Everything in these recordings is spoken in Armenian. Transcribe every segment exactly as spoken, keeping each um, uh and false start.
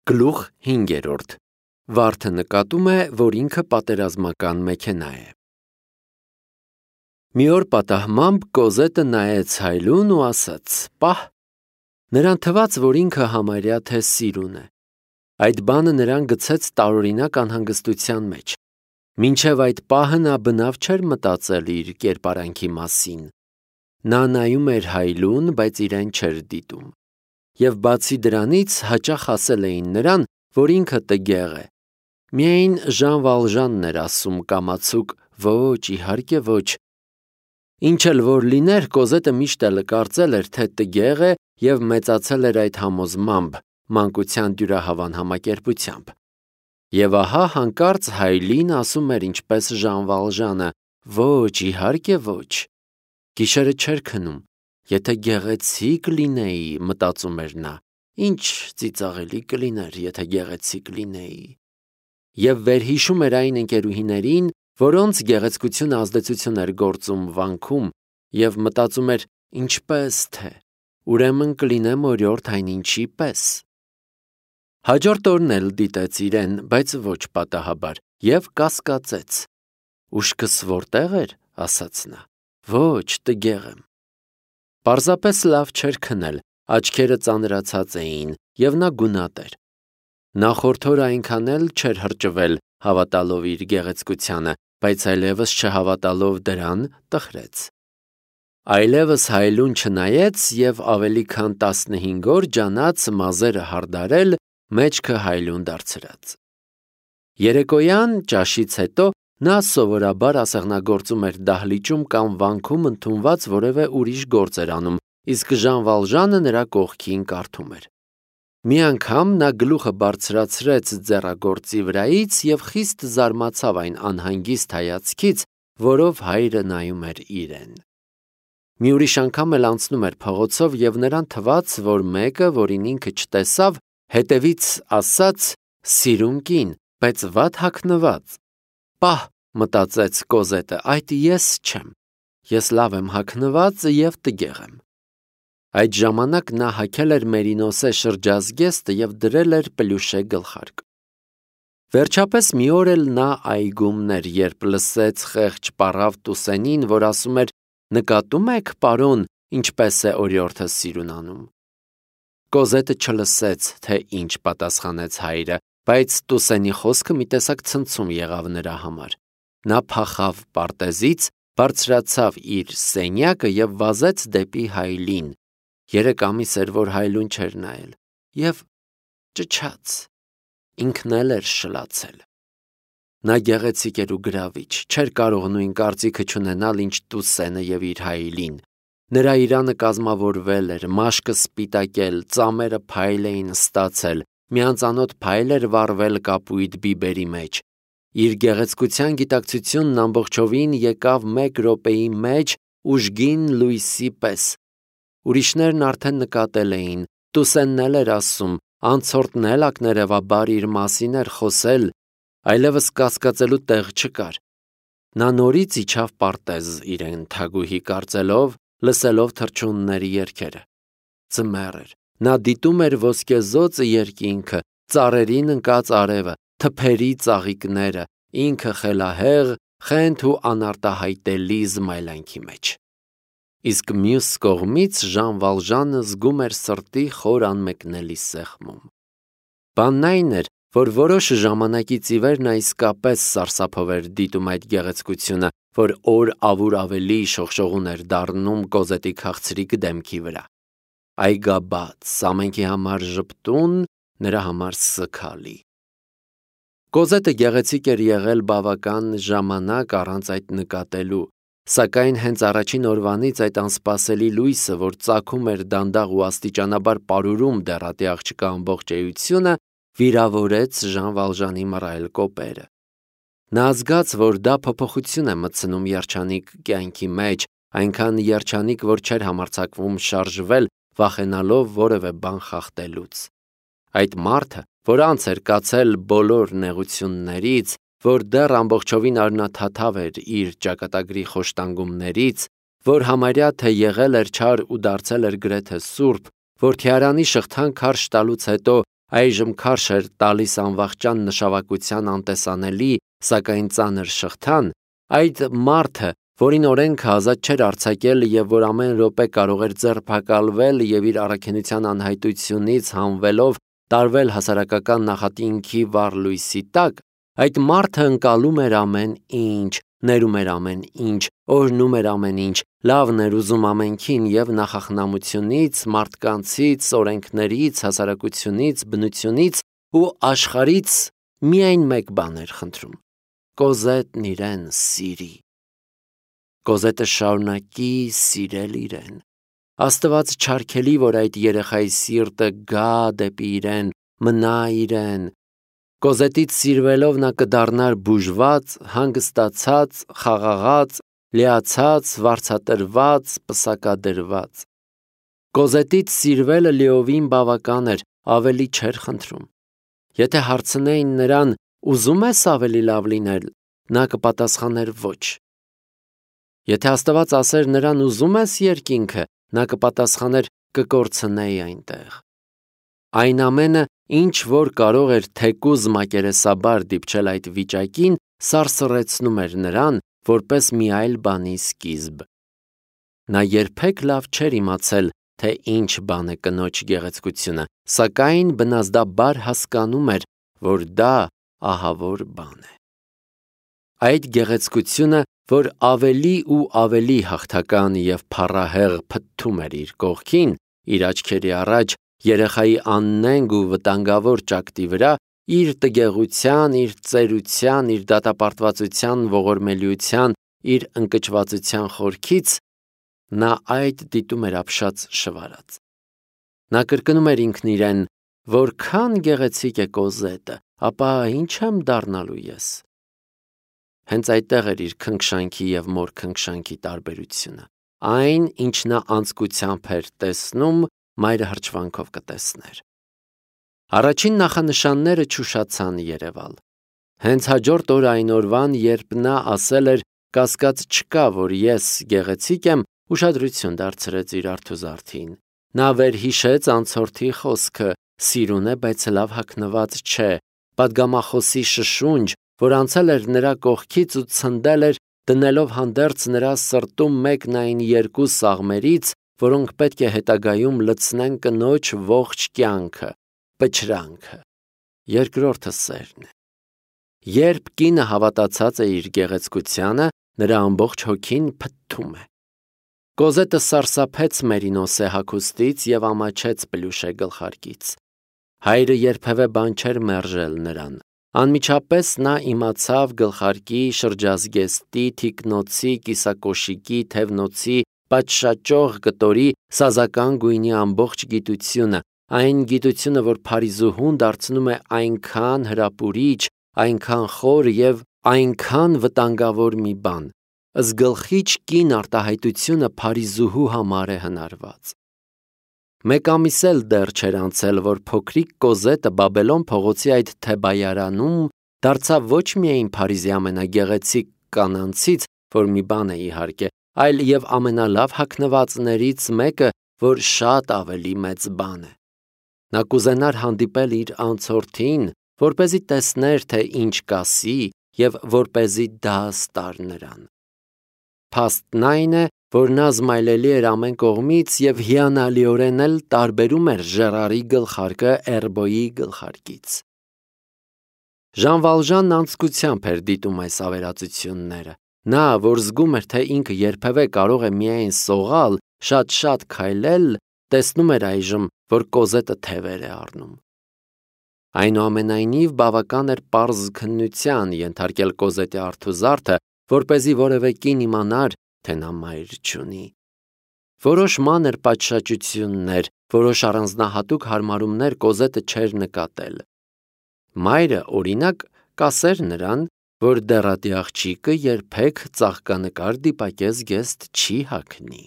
Գլուխ հինգերորդ. Վարդը նկատում է, որ ինքը պատերազմական մեքենա է։ Մի օր պատահմամբ Կոզետը նայեց Հայլուն ու ասաց. «Պահ»։ Նրան թվաց, որ ինքը համարյա թե սիրուն է։ Այդ բանը նրան գցեց տարօրինակ անհանգստության մեջ։ Մինչև այդ պահը նա բնավ չէր մտածել իր կերպարանքի մասին։ Նա նայում էր Հայլուն, բայց իրեն չէր դիտում։ Եվ բացի դրանից հաճախ ասել էին նրան, որ ինքը տգեղ է։ Միայն Ժան Վալժանն էր ասում կամացուկ. «Ոչ, իհարկե ոչ»։ Ինչ էլ որ լիներ, Կոզետը միշտ էլ կարծել էր, թե տգեղ է և մեծացել էր այդ համոզմամբ, մանկության դյուրահավան համակերպությամբ։ Եվ ահա հանկարծ Հայլին ասում էր ինչպես Ժան Վալժանը. «Ոչ, իհարկե ոչ»։ Գիշերը չէր քնում։ Եթե գեղեցիկ լինեի, մտածում էր նա, ինչ ծիծաղելի կլիներ, եթե գեղեցիկ լինեի։ Եվ վերհիշում էր այն ընկերուհիներին, որոնց գեղեցկությունը ազդեցություն էր գործում վանքում, և մտածում էր, ինչպես թե, ուրեմն կլինեմ օրիորդ այնինչի պես։ Հաջորդ օրն էլ դիտեց իրեն, բայց ոչ պատահաբար, և կասկածեց։ «Ուշքս որտեղ էր», ասաց նա։ «Ոչ, տգեղ եմ»։ Պարզապես լավ չէր քնել, աչքերը ծանրացած էին, և նա գունատ էր։ Նախորդ օրը այնքան էլ չէր հրճվել, հավատալով իր գեղեցկությանը, բայց այլևս չհավատալով դրան, տխրեց։ Այլևս Հայլուն չնայեց և ավելի քան տասնհինգ օր ջանաց մազերը հարդարել, մեջքը Հայլուն դարձրած։ Երեկոյան ճաշից հետո նա սովորաբար ասեղնագործում էր դահլիճում կամ վանքում ընդունված որևէ ուրիշ գործ էր անում, իսկ Ժան Վալժանը նրա կողքին կարդում էր։ Մի անգամ նա գլուխը բարձրացրեց ձեռագործի վրայից և խիստ զարմացավ այն անհանգիստ հայացքից, որով հայրը նայում էր իրեն։ Մի ուրիշ անգամ էլ անցնում էր փողոցով և նրան թվաց, որ մեկը, որին ինքը չտեսավ, հետևից ասաց. «Սիրուն կին, բայց վատ հագնված»։ «Պահ», մտածեց Կոզետը, «այդ ես չեմ։ Ես լավ եմ հագնված և տգեղ եմ»։ Այդ ժամանակ նա հագել էր մերինոսե շրջազգեստը և դրել էր պլյուշե գլխարկ։ Վերջապես մի օր էլ նա այգումն էր, երբ լսեց խեղճ պառավ Տուսենին, որ ասում էր. «Նկատում եք, պարոն, ինչպես է օրիորդը սիրունանում»։ Կոզետը չլսեց, թե ինչ պատասխանեց հայրը, բայց Տուսենի խոսքը մի տեսակ ցնցում եղավ նրա համար։ Նա փախավ պարտեզից, բարձրացավ իր սենյակը և վազեց դեպի Հայլին։ Երեք ամիս էր, որ Հայլուն չէր նայել, և ճչաց։ Ինքն էլ էր շլացել։ Նա գեղեցիկ էր ու գրավիչ, չէր կարող նույն կարծիքը չունենալ, ինչ Տուսենը և իր Հայլին։ Նրա իրանը կազմավորվել էր, մաշկը սպիտակել, ծամերը փայլ էին ստացել, մի անծանոթ փայլ էր վառվել կապույտ բիբերի մեջ։ Իր գեղեցկության գիտակցությունն ամբողջովին եկավ մեկ րոպեի մեջ ուժգին լույսի պես։ Ուրիշներն արդեն նկատել էին, Տուսենն էլ էր ասում, անցորդն էլ ակներևաբար իր մասին էր խոսել, այլևս կասկածելու տեղ չկար։ Նա նորից իջավ պարտեզ իրեն թագուհի կարծելով, լսելով թռչունների երգերը։ Ձմեռ էր։ Նա դիտում էր ոսկեզօծը երկինքը, ծառերին ընկած արևը, թփերի ծաղիկները, ինքը խելահեղ, խենթ ու անարտահայտելի զմայլանքի մեջ։ Իսկ մյուս կողմից Ժան Վալժանը զգում էր սրտի խոր անմեկնելի սեղմում։ Բանն այն էր, որ որոշ ժամանակից ի վեր նա իսկապես սարսափով էր դիտում այդ գեղեցկությունը, որ օր ավուր ավելի շողշողուն էր դառնում Կոզետի քաղցրիկ դեմքի վրա։ Այգաբաց, ամենքի համար ժպտուն, նրա համար սգալի։ Կոզետը գեղեցիկ էր եղել բավական ժամանակ առանց այդ նկատելու, սակայն հենց առաջին օրվանից այդ անսպասելի լույսը, որ ծագում էր դանդաղ ու աստիճանաբար պարուրում դեռատի աղջկա ամբողջ էությունը, վիրավորեց Ժան Վալժանի մռայլ կոպերը։ Նա զգաց, որ դա փոփոխություն է մտցնում երջանիկ կյանքի մեջ, այնքան երջանիկ, որ չէր համարձակվում շարժվել, վախենալով որևէ բան խախտելուց։ Այդ մարդը, որ անց էր կացել բոլոր նեղություններից, որ դեռ ամբողջովին արյունաթաթավ էր իր ճակատագրի խոշտանգումներից, որ համարյա թե եղել էր չար ու դարձել էր գրեթե սուրբ, որ թիարանի շղթան քարշ տալուց հետո այժմ քարշ էր տալիս անվախճան նշավակության անտեսանելի, սակայն ծանր շղթան, այդ մարդը, որին օրենքը ազատ չէր արձակել և որ ամեն րոպե կարող էր ձերբակալվել և իր առաքինության անհայտությունից հանվելով տարվել հասարակական նախատինքի վառ լույսի տակ, այդ մարդը ընկալում էր ամեն ինչ, ներում էր ամեն ինչ, օրհնում էր ամեն ինչ, լավն էր ուզում ամենքին և նախախնամությունից, մարդկանցից, օրենքներից, հասարակությունից, բնությունից ու աշխարհից միայն մեկ բան էր խնդրում. Կոզետն իրեն սիրի։ Կոզետը շարունակի սիրել իրեն։ Աստված չարգելի, որ այդ երեխայի սիրտը գա դեպի իրեն, մնա իրեն։ Կոզետից սիրվելով նա կդառնար բուժված, հանգստացած, խաղաղած, լիացած, վարձատրված, պսակադրված։ Կոզետից սիրվելը լիովին բավական էր, ավելի չէր խնդրում։ Եթե հարցնեին նրան, ուզո՞ւմ ես ավելի լավ լինել, նա կպատասխաներ ոչ։ Եթե Աստված ասեր նրան ուզո՞ւմ ես երկինքը, նա կպատասխաներ կկորցնեի այնտեղ։ Այն ամենը, ինչ որ կարող էր թեկուզ մակերեսաբար դիպչել այդ վիճակին, սարսռեցնում էր նրան, որպես մի այլ բանի սկիզբ։ Նա երբեք լավ չէր իմացել, թե ինչ բան է կնոջ գեղեցկությունը, սակայն բնազդաբար հասկանում էր, որ դա ահավոր բան է։ Այդ գեղեցկությունը, որ ավելի ու ավելի հաղթական և փառահեղ փթթում էր իր կողքին, իր աչքերի առաջ, երեխայի աննենգ ու վտանգավոր ճակտի վրա, իր տգեղության, իր ծերության, իր դատապարտվածության, ողորմելիության, իր ընկճվածության խորքից, նա այդ դիտում էր ապշած շվարած։ Նա կրկնում էր ինքն իրեն, որքան գեղեցիկ է Կոզետը, ապա ինչ եմ դառնալու ես։ Հենց այդտեղ էր իր քնքշանքի և մոր քնքշանքի տարբերությունը։ Այն, ինչ նա անձկությամբ էր տեսնում, մայրը հրճվանքով կտեսներ։ Առաջին նախանշանները չուշացան երևալ։ Հենց հաջորդ օրը այն օրվան, երբ նա ասել էր կասկած չկա, որ ես գեղեցիկ եմ, ուշադրություն դարձրեց իր արթուզարդին։ Նա վերհիշեց անցորդի խոսքը. սիրուն է, բայց լավ հագնված չէ, պատգամախոսի շշունջ, որ անցել էր նրա կողքից ու ցնդել էր, դնելով հանդերձ նրա սրտում մեկն այն երկու սաղմերից, որոնք պետք է հետագայում լցնեն կնոջ ողջ կյանքը, պչրանքը։ Երկրորդը սերն է։ Երբ կինը հավատացած է իր գեղեցկությանը, նրա ամբողջ հոգին փթթում է։ Կոզետը սարսափեց Մերինոսե հագուստից և ամաչեց Պլյուշե գլխարկից։ Հայրը երբևէ բան չէր մերժել նրան։ Անմիջապես նա իմացավ գլխարկի, շրջազգեստի, թիկնոցի, կիսակոշիկի, թևնոցի, պատշաճող կտորի, սազական գույնի ամբողջ գիտությունը, այն գիտությունը, որ Փարիզուհուն դարձնում է այնքան հրապուրիչ, այնքան խոր և այնքան վտանգավոր մի բան։ Զգլխիչ կին արտահայտությունը Փարիզուհու համար է հնարված։ Մեկ ամիս էլ դեռ չէր անցել, որ փոքրիկ Կոզետը Բաբելոն փողոցի այդ թեբայարանում դարձավ ոչ միայն Փարիզի ամենագեղեցիկ կանանցից, որ մի բան է իհարկե, այլ և ամենալավ հագնվածներից մեկը, որ շատ ավելի մեծ բան է։ Նա կուզենար հանդիպել իր անցորդին, որպեսզի տեսներ, թե ինչ կասի և որպեսզի դաս տար նրան։ Փաստն այն է, որ նա զմայլելի էր ամեն կողմից և հիանալիորեն էլ տարբերում էր Ժերարի գլխարկը Էրբոյի գլխարկից։ Ժան Վալժանն անձկությամբ էր դիտում այս ավերածությունները։ Նա, որ զգում էր, թե ինքը երբևէ կարող է միայն սողալ, շատ-շատ քայլել, տեսնում էր այժմ, որ Կոզետը թևեր է առնում։ Այնուամենայնիվ բավական էր պարզ քննության ենթարկել Կոզետի արթուզարդը, որպեսզի որևէ կին իմանար, թե նա մայր չունի։ Որոշ մանր պատշաճություններ, որոշ առանձնահատուկ հարմարումներ Կոզետը չէր նկատել։ Մայրը, օրինակ, կասեր նրան, որ դեռատի աղջիկը երբեք ծաղկանկար դիպակես գեստ չի հագնի։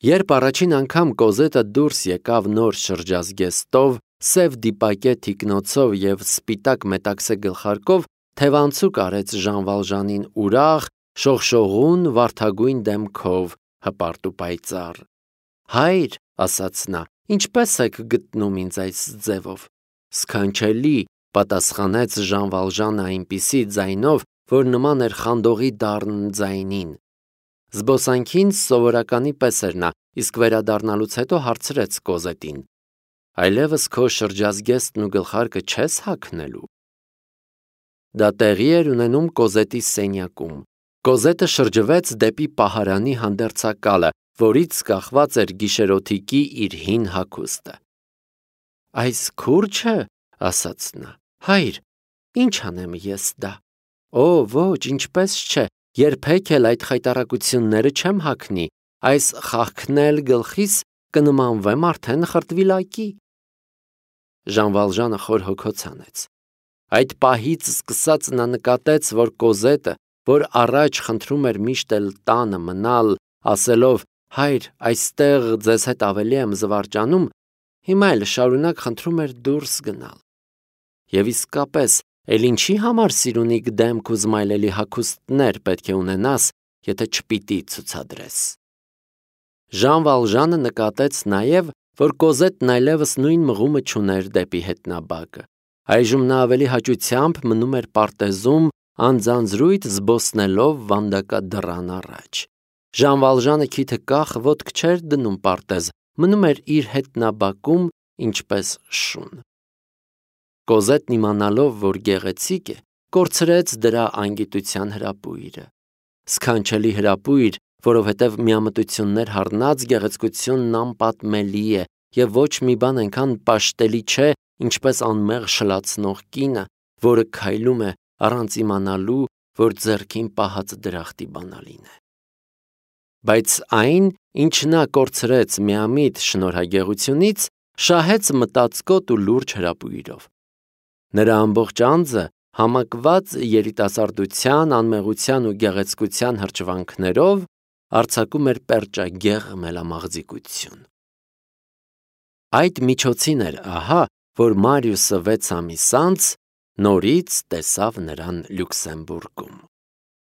Երբ առաջին անգամ Կոզետը դուրս եկավ նոր շրջազգեստով, սև դիպակե թիկնոցով և սպիտակ մետաքսե գլխարկով, թևանցուկ արեց Ժան Վալժանին ուրախ, շողշողուն, վարդագույն դեմքով, հպարտ ու պայծառ։ Հայր, ասաց նա, ինչպե՞ս եք գտնում ինձ այս ձևով։ Սքանչելի, պատասխանեց Ժան Վալժանը այնպիսի ձայնով, որ նման էր խանդողի դառն ձայնին։ Զբոսանքին սովորականի պես էր նա, իսկ վերադառնալուց հետո հարցրեց Կոզետին. Այլևս քո շրջազգեստն ու գլխարկը չես հագնելու։ Դա տեղի էր ունենում Կոզետի սենյակում։ Կոզետը շրջվեց դեպի պահարանի հանդերձակալը, որից կախված էր գիշերօթիկի իր հին հագուստը։ Այս քուրչը, ասաց նա, հայր, ինչ անեմ ես դա։ Օ, ոչ, ինչպես չէ, երբեք էլ այդ խայտառակությունները չեմ հագնի, այս խաղքնել գլխիս կնմանվեմ արդեն խրտվիլակի։ Ժան Վալժանը խոր հոգոց անեց։ Այդ պահից սկսած նա նկատեց, որ Կոզետը, որ առաջ խնդրում էր միշտ էլ տանը մնալ, ասելով. հայր, այստեղ ձեզ հետ ավելի եմ զվարճանում, հիմա էլ շարունակ խնդրում էր դուրս գնալ։ Եվ իսկապես, էլ ինչի համար սիրունիկ դեմք ու զմայլելի հագուստներ պետք է ունենաս, եթե չպիտի ցուցադրես։ Ժան Վալժանը նկատեց նաև, որ Կոզետն այլևս նույն մղումը չուներ դեպի հետնաբակը։ Այժմ նա ավելի հաճությամբ մնում էր պարտեզում, անձանձրույթ զբոսնելով վանդակադռան առաջ։ Ժան Վալժանը քիթը կախ ոտք չէր դնում պարտեզ, մնում էր իր հետնաբակում, ինչպես շուն։ Կոզետն իմանալով, որ գեղեցիկ է, կորցրեց դրա անգիտության հրապույրը։ Սքանչելի հրապույր, որովհետև միամտություններ հառնած գեղեցկությունն անպատմելի է և ոչ մի բան այնքան պաշտելի չէ, ինչպես անմեղ շլացնող կինը, որը քայլում է առանց իմանալու, որ ձեռքին պահած դրախտի բանալին է։ Բայց այն, ինչ նա կորցրեց միամիտ շնորհագեղությունից, շահեց մտածկոտ ու լուրջ հրապույրով։ Նրա ամբողջ անձը համակված երիտասարդության, անմեղության ու գեղեցկության հրճվանքներով արձակում էր պերճագեղ մելամաղձիկություն։ Այդ միջոցին էր ահա, որ Մարիուսը վեց ամիս անց նորից տեսավ նրան Լյուքսեմբուրգում։